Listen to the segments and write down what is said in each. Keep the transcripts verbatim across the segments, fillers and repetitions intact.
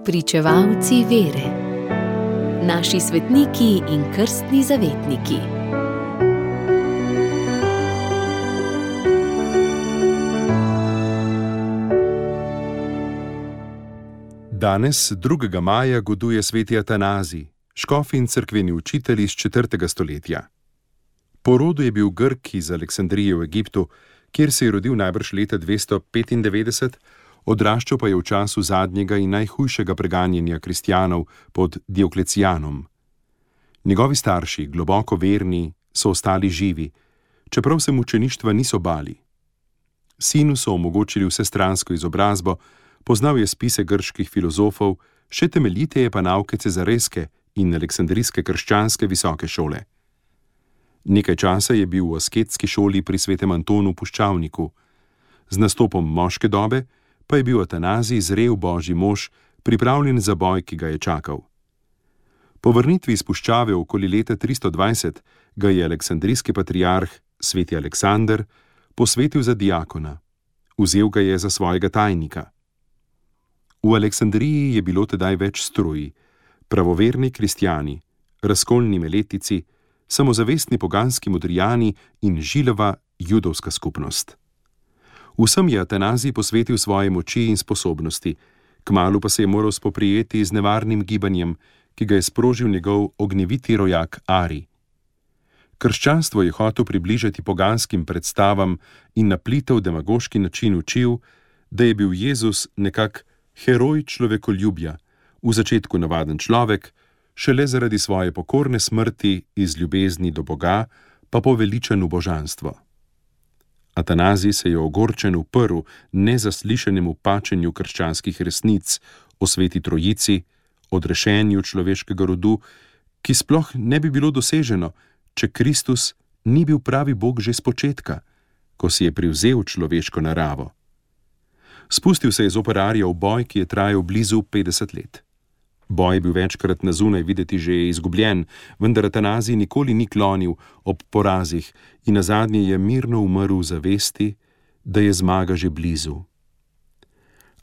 Spričevalci vere. Naši svetniki in krstni zavetniki. Danes, drugega maja, goduje sveti Atanazij, škof in cerkveni učitelj iz četrtega stoletja. Po rodu je bil Grk iz Aleksandrije v Egiptu, kjer se je rodil najbrž leta dvesto petindevetdeset, odraščal pa je v času zadnjega in najhujšega preganjanja kristjanov pod Dioklecijanom. Njegovi starši, globoko verni, so ostali živi, čeprav se mučeništva niso bali. Sinu so omogočili vsestransko izobrazbo, poznal je spise grških filozofov, še temeljiteje pa nauke cezareske in aleksandrijske krščanske visoke šole. Nekaj časa je bil v asketski šoli pri svetem Antonu Puščavniku. Z nastopom moške dobe pa je bil Atanazij zrel božji mož, pripravljen za boj, ki ga je čakal. Po vrnitvi iz puščave okoli leta tristo dvajset ga je aleksandrijski patriarh, sveti Aleksander, posvetil za diakona. Vzel ga je za svojega tajnika. V Aleksandriji je bilo tedaj več struj, pravoverni kristjani, razkolni meletici, samozavestni poganski modrijani in žilava judovska skupnost. Vsem je Atanazij posvetil svoje moči in sposobnosti, kmalu pa se je moral spoprijeti z nevarnim gibanjem, ki ga je sprožil njegov ognjeviti rojak Ari. Krščanstvo je hotel približati poganskim predstavam in na plitev demagoški način učil, da je bil Jezus nekak heroj človekoljubja, v začetku navaden človek, šele zaradi svoje pokorne smrti iz ljubezni do Boga pa poveličen v božanstvo. Atanazij se je ogorčen uprl nezaslišanemu pačenju krščanskih resnic o sveti trojici, odrešenju človeškega rodu, ki sploh ne bi bilo doseženo, če Kristus ni bil pravi Bog že spočetka, ko si je privzel človeško naravo. Spustil se je zoper Arija v boj, ki je trajal blizu petdeset let. Boj je bil večkrat na zunaj videti že izgubljen, vendar Atanazij nikoli ni klonil ob porazih in nazadnje je mirno umrl v zavesti, da je zmaga že blizu.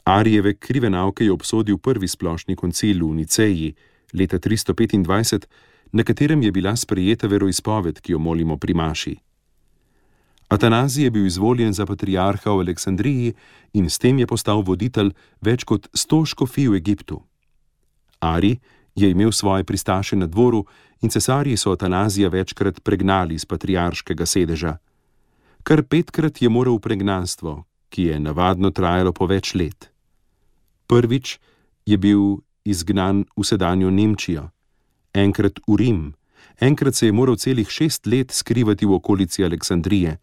Arijeve krive nauke je obsodil prvi splošni koncil v Niceji leta tristo petindvajset, na katerem je bila sprejeta veroizpoved, ki jo molimo pri maši. Atanazij je bil izvoljen za patriarha v Aleksandriji in s tem je postal voditelj več kot sto škofij v Egiptu. Ari je imel svoje pristaše na dvoru in cesarji so Atanazija večkrat pregnali iz patriarškega sedeža. Kar petkrat je moral v pregnanstvo, ki je navadno trajalo po več let. Prvič je bil izgnan v sedanjo Nemčijo, enkrat v Rim, enkrat se je moral celih šest let skrivati v okolici Aleksandrije.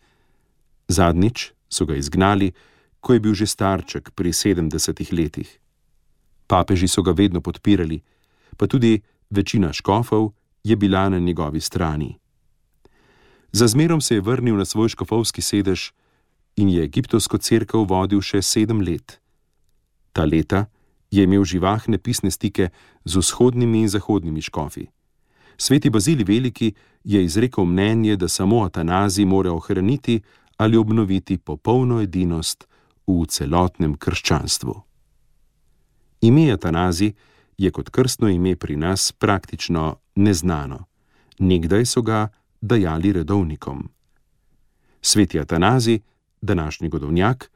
Zadnjič so ga izgnali, ko je bil že starček pri sedemdesetih letih. Papeži so ga vedno podpirali, pa tudi večina škofov je bila na njegovi strani. Za zmerom se je vrnil na svoj škofovski sedež in je egiptovsko cerkev vodil še sedem let. Ta leta je imel živahne pisne stike z vzhodnimi in zahodnimi škofi. Sveti Bazilij Veliki je izrekel mnenje, da samo Atanazij mora ohraniti ali obnoviti popolno edinost v celotnem krščanstvu. Ime Atanazij je kot krstno ime pri nas praktično neznano. Nekdaj so ga dajali redovnikom. Sveti Atanazij, današnji godovnjak,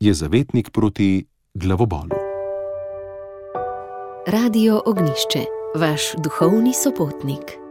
je zavetnik proti glavobolu. Radio Ognjišče, vaš duhovni sopotnik.